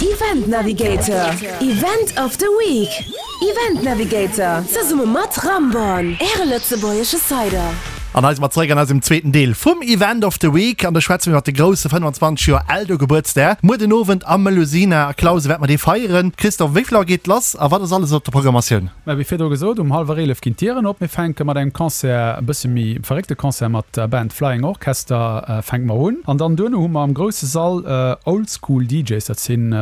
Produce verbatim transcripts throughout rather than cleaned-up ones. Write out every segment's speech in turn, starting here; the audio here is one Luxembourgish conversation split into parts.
Event Navigator, Event of the Week. Event Navigator, zesumme mat Ramborn, Äre lëtzebuergesche Cider. An hei si mer zeréck an eisem zweeten Deel vum Event of the Week an do schwätze mir iwwer de grousse fënnwanzwanzeg Joer Eldo-Gebuertsdag muer den Owend am Melusina a Clausen wäerte mer dee feieren. Christophe, wéi vill Auer geet lass a wat ass alles op der Programmatioun? Mä wéi virdru gesot, um hallwer eelef ginn d'Dieren op. Mir fänke mat engem Concert, e bësse méi verréckte Concert mat der Band Flying Orchester fänke mer un. An dann duerno hu mer am grousse Sall Old School D Js, dat sinn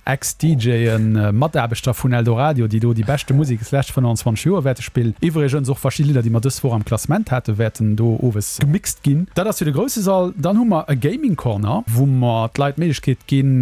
Ex-D Jën, Mataarbechter vun Eldoradio, déi do déi beschte Musek des leschte fënnwanzwanzeg Joer wäerte spillen. Iwwregens och verschidde Lidder, déi mer dës Woch am Klassement haten, wäerten do owes gemixt ginn. Dat ass fir de grousse Sall. Dann hu mer e Gaming Corner, wou mer d'Leit d'Méiglechkeet ginn,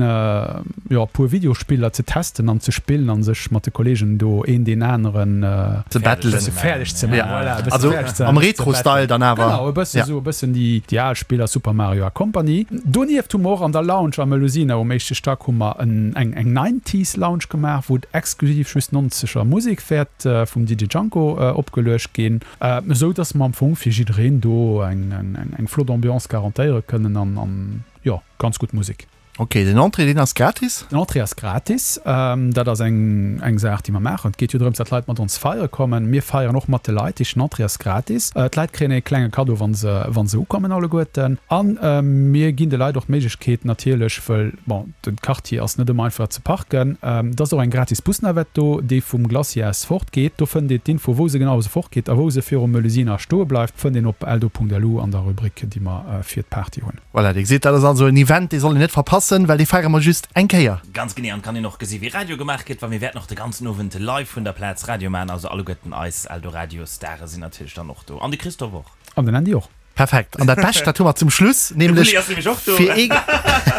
jo, e puer Videospiller ze testen an ze spillen a sech mat de Kolleegen do een deen aneren ze battelen. E bësse fäerdeg ze maachen. Voilà, e bësse Also fäerdeg ze am ze Retro-Style battelen. dann awer. Genau, e bësse Ja. sou, e bëssen déi, déi al Spiller, Super Mario a Company. Donieft hu mer och an der Lounge am Melusina um éischte Stack hu mer en, eng, eng Nineties Lounge gemaach, wou et exklusiv just nonzeger Musek wäert vum D J Janko opgeluecht ginn, esou dass mer am Fong fir jiddereen do eng, eng, eng flott Ambiance garantéiere kënnen an, an jo, ganz gutt Musek. Ok, den Entrée deen ass gratis? Den Entrée ass gratis. Dat ass eng, eng Saach, déi mer maachen. Et geet jo drëms, datt d'Leit mat ons feiere kommen. Mir feieren och mat de Leit. Heescht, den Entrée ass gratis. D'Leit kréien e klenge Kaddo, wa se, wa se ukommen alleguerten. A mir ginn de Leit och d'Méiglechkeet natierlech, wëll, bon, de Quartier ass net ëmmer einfach ze parken, et ass och eng gratis Busnavette do, déi vum Glacier aus fortgeet. Do fënnt een d'Info, wou se genau se fortgeet a wou se virum Melusina stoe bleift, fënnt een op eldo Punkt L U an der Rubrik, déi mer fir d'Party hunn. Voilà, Dir gesitt, dat ass also en Event, dee soll een net verpassen, well dee feiere mer just eng Kéier. Ganz genee, an kann een och gesi wéi Radio gemaach gëtt, well mir wäerten och de ganzen Owend live vun der Plaz Radio maachen, also alleguerten eis Eldoradio Stare sinn natierlech dann och do an de Christophe och. An den Andy och. Perfekt, an dat Bescht, dat hu mer zum Schluss, nämlech fir ee,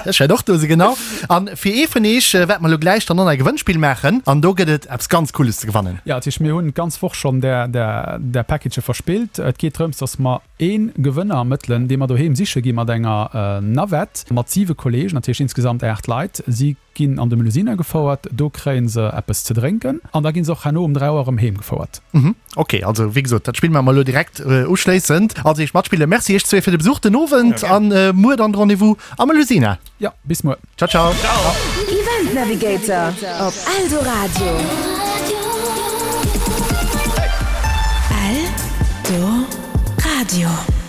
ech wäert och do sinn, genau, an fir ee vun iech wäerte mer elo gläich dann och e Gewënnspill maachen an do gëtt et eppes ganz Cooles ze gewannen. Jo, dat heescht, mir hunn d'ganz Woch schonn där, där, där Packagë verspillt. Et geet drëms, dass mer ee Gewënner ermëttelen, dee mer doheem siche gi mat enger Navette mat siwe Kolleegen, dat heescht insgesamt aacht Leit. Si ginn an de Melusina gefouert, do kréie se eppes ze drénken an da gi se och herno um dräi Auer erëm heem gefouert. Mhm, ok, also wéi gesot, dat spille mer elo direkt uschléissend. Also iech matspillen. Merci iech zwee fir de Besuch den Owend an muer dann de Rendez-vous am Melusina. Jo, bis muer. Ciao, ciao. Ciao. Event Navigator op Eldoradio. Eldoradio.